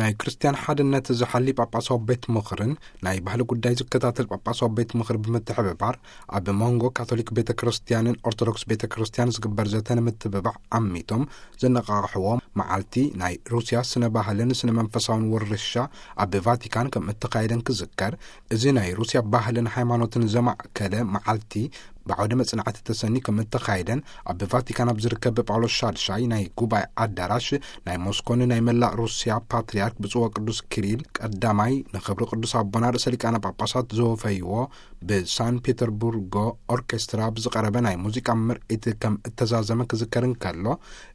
ናይ ክርስትያን ሓድነት ዝሓሊ ጳጳሳዊ ቤት ምኽርን ናይ ባህሊ ጉዳይ ዝከታተል ጳጳሳዊ ቤት ምኽሪ ብምትሕብባር፣ ኣብ መንጎ ካቶሊክ ቤተ ክርስትያንን ኦርቶዶክስ ቤተ ክርስትያን ዝግበር ዘተ ንምትብባዕ ዓሚቶም ዘነቓቕሕዎ መዓልቲ ናይ ሩስያ ስነ ባህልን ስነ መንፈሳውን ውርሻ ኣብ ቫቲካን ከም እተኻየደን ክዝከር፣ እዚ ናይ ሩስያ ባህልን ሃይማኖትን ዘማእከለ መዓልቲ ብዓውደ መጽናዕቲ ተሰኒ ከም እተኻየደን፣ ኣብ ቫቲካን ኣብ ዝርከብ ጳውሎስ ሻድሻይ ናይ ጉባኤ ኣዳራሽ ናይ ሞስኮን ናይ መላእ ሩስያ ፓትርያርክ ብፁዕ ወቅዱስ ኪሪል ቀዳማይ ንኽብሪ ቅዱስ ኣቦና ርእሰ ሊቃነ ጳጳሳት ዘወፈይዎ ብሳን ፔተርቡርጎ ኦርኬስትራ ብዝቐረበ ናይ ሙዚቃ ምርኢት ከም እተዛዘመ ክዝከር እንከሎ፣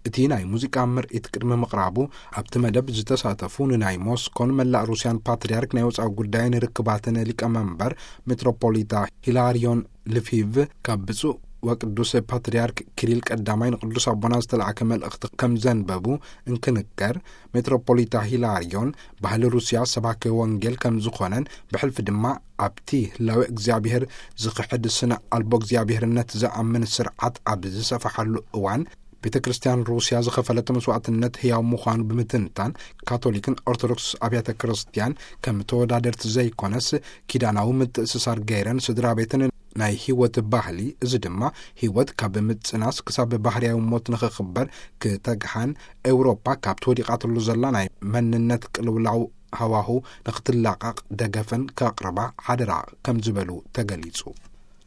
እቲ ናይ ሙዚቃ ምርኢት ቅድሚ ምቕራቡ ኣብቲ መደብ ዝተሳተፉ ንናይ ሞስኮን መላእ ሩስያን ፓትርያርክ ናይ ወጻኢ ጉዳይን ርክባትን ሊቀመንበር ሜትሮፖሊታ ሂላሪዮን ልፊቭ ካብ ብፁዕ ወቅዱስ ፓትርያርክ ኪሪል ቀዳማይ ንቅዱስ ኣቦና ዝተላእከ መልእኽቲ ከም ዘንበቡ እንክንከር፣ ሜትሮፖሊታ ሂላሪዮን ባህሊ ሩስያ ሰባኪ ወንጌል ከም ዝኾነን ብሕልፊ ድማ ኣብቲ ህላዌ እግዚኣብሔር ዝኽሕድ ስነ ኣልቦ እግዚኣብሔርነት ዝኣምን ስርዓት ኣብ ዝሰፈሓሉ እዋን ቤተ ክርስትያን ሩስያ ዝኸፈለቶ መስዋዕትነት ህያው ምዃኑ ብምትንታን፣ ካቶሊክን ኦርቶዶክስ ኣብያተ ክርስትያን ከም ተወዳደርቲ ዘይኮነስ ኪዳናዊ ምትእስሳር ገይረን ስድራ ቤትን ናይ ህይወት ባህሊ፣ እዚ ድማ ህይወት ካብ ምጽናስ ክሳብ ባህርያዊ ሞት ንኽኽበር ክተግሃን፣ ኤውሮጳ ካብቲ ወዲቓትሉ ዘላ ናይ መንነት ቅልውላው ሃዋሁ ንኽትላቐቕ ደገፈን ከቕርባ ሓደራ ከም ዝበሉ ተገሊጹ።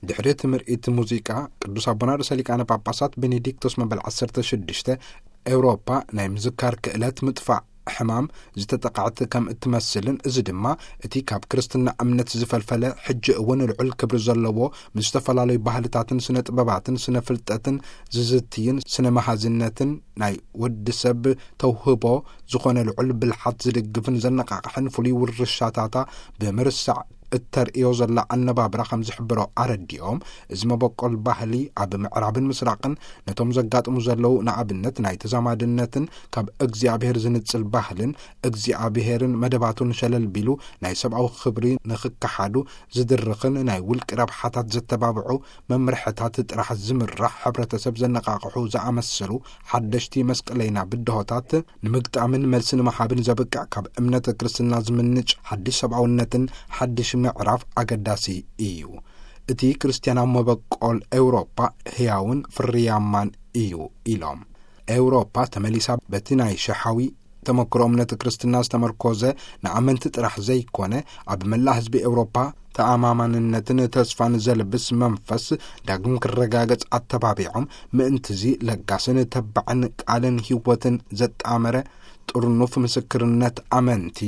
ድሕሪ እቲ ምርኢት ሙዚቃ፣ ቅዱስ ኣቦና ርእሰ ሊቃነ ጳጳሳት ቤኔዲክቶስ መበል ዓሰርተ ሽዱሽተ፣ ኤውሮጳ ናይ ምዝካር ክእለት ምጥፋእ ሕማም ዝተጠቕዐት ከም እትመስልን፣ እዚ ድማ እቲ ካብ ክርስትና እምነት ዝፈልፈለ ሕጂ እውን ልዑል ክብሪ ዘለዎ ምስ ዝተፈላለዩ ባህልታትን ስነ ጥበባትን ስነ ፍልጠትን ዝዝትይን ስነ መሃዝነትን ናይ ወዲ ሰብ ተውህቦ ዝኾነ ልዑል ብልሓት ዝድግፍን ዘነቓቕሕን ፍሉይ ውርሻታታ ብምርሳዕ እተርእዮ ዘላ ኣነባብራ ከም ዝሕብሮ ኣረዲኦም፣ እዚ መበቆል ባህሊ ኣብ ምዕራብን ምስራቕን ነቶም ዘጋጥሙ ዘለዉ፣ ንኣብነት ናይ ተዛማድነትን ካብ እግዚኣብሔር ዝንጽል ባህልን እግዚኣብሔርን መደባቱን ሸለል ቢሉ ናይ ሰብኣዊ ክብሪ ንኽከሓዱ ዝድርኽን ናይ ውልቂ ረብሓታት ዘተባብዑ መምርሕታት ጥራሕ ዝምራሕ ሕብረተሰብ ዘነቓቕሑ ዝኣመሰሉ ሓደሽቲ መስቀለይና ብድሆታት ንምግጣምን መልሲ ንምሃብን ዘብቅዕ ካብ እምነት ክርስትና ዝምንጭ ሓድሽ ሰብኣውነትን ሓድሽ ምዕራፍ ኣገዳሲ እዩ። እቲ ክርስትያናዊ መበቆል ኤውሮጳ ህያውን ፍርያማን እዩ ኢሎም። ኤውሮጳ ተመሊሳ በቲ ናይ ሸሓዊ ተመክሮ እምነት ክርስትና ዝተመርኮዘ ንኣመንቲ ጥራሕ ዘይኮነ፣ ኣብ መላእ ህዝቢ ኤውሮጳ ተኣማማንነትን ተስፋን ዘልብስ መንፈስ ዳግም ክረጋገጽ ኣተባቢዖም፣ ምእንትዚ ለጋስን ተባዕን ቃልን ህይወትን ዘጣመረ ጥርኑፍ ምስክርነት ኣመንቲ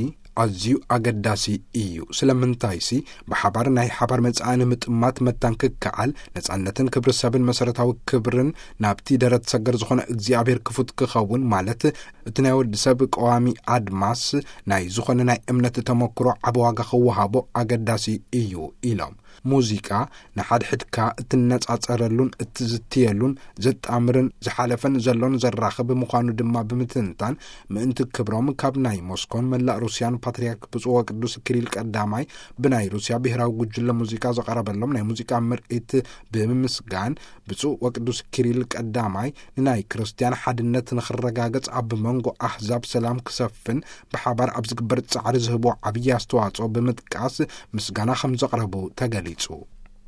ኣዝዩ ኣገዳሲ እዩ። ስለምንታይሲ፣ ብሓባር ናይ ሓባር መጻኢ ንምጥማት መታን ክከኣል፣ ነጻነትን ክብሪ ሰብን መሰረታዊ ክብርን ናብቲ ደረት ሰገር ዝኾነ እግዚኣብሔር ክፉት ክኸውን፣ ማለት እቲ ናይ ወዲ ሰብ ቀዋሚ ኣድማስ ናይ ዝኾነ ናይ እምነት ተመክሮ ዓቢ ዋጋ ክወሃቦ ኣገዳሲ እዩ ኢሎም። ሙዚቃ ንሓድሕድካ እትነጻጸረሉን እትዝትየሉን ዘጣምርን ዝሓለፈን ዘሎን ዘራኽብ ምዃኑ ድማ ብምትንታን፣ ምእንቲ ክብሮም ካብ ናይ ሞስኮን መላእ ሩስያን ፓትርያርክ ብፁዕ ወቅዱስ ኪሪል ቀዳማይ ብናይ ሩስያ ብሔራዊ ጉጅለ ሙዚቃ ዘቐረበሎም ናይ ሙዚቃ ምርኢት ብምምስጋን፣ ብፁዕ ወቅዱስ ኪሪል ቀዳማይ ንናይ ክርስትያን ሓድነት ንኽረጋገጽ ኣብ መንጎ ኣህዛብ ሰላም ክሰፍን ብሓባር ኣብ ዝግበር ጻዕሪ ዝህቦ ዓብዪ ኣስተዋጽኦ ብምጥቃስ ምስጋና ከም ዘቕረቡ ተገሊጹ።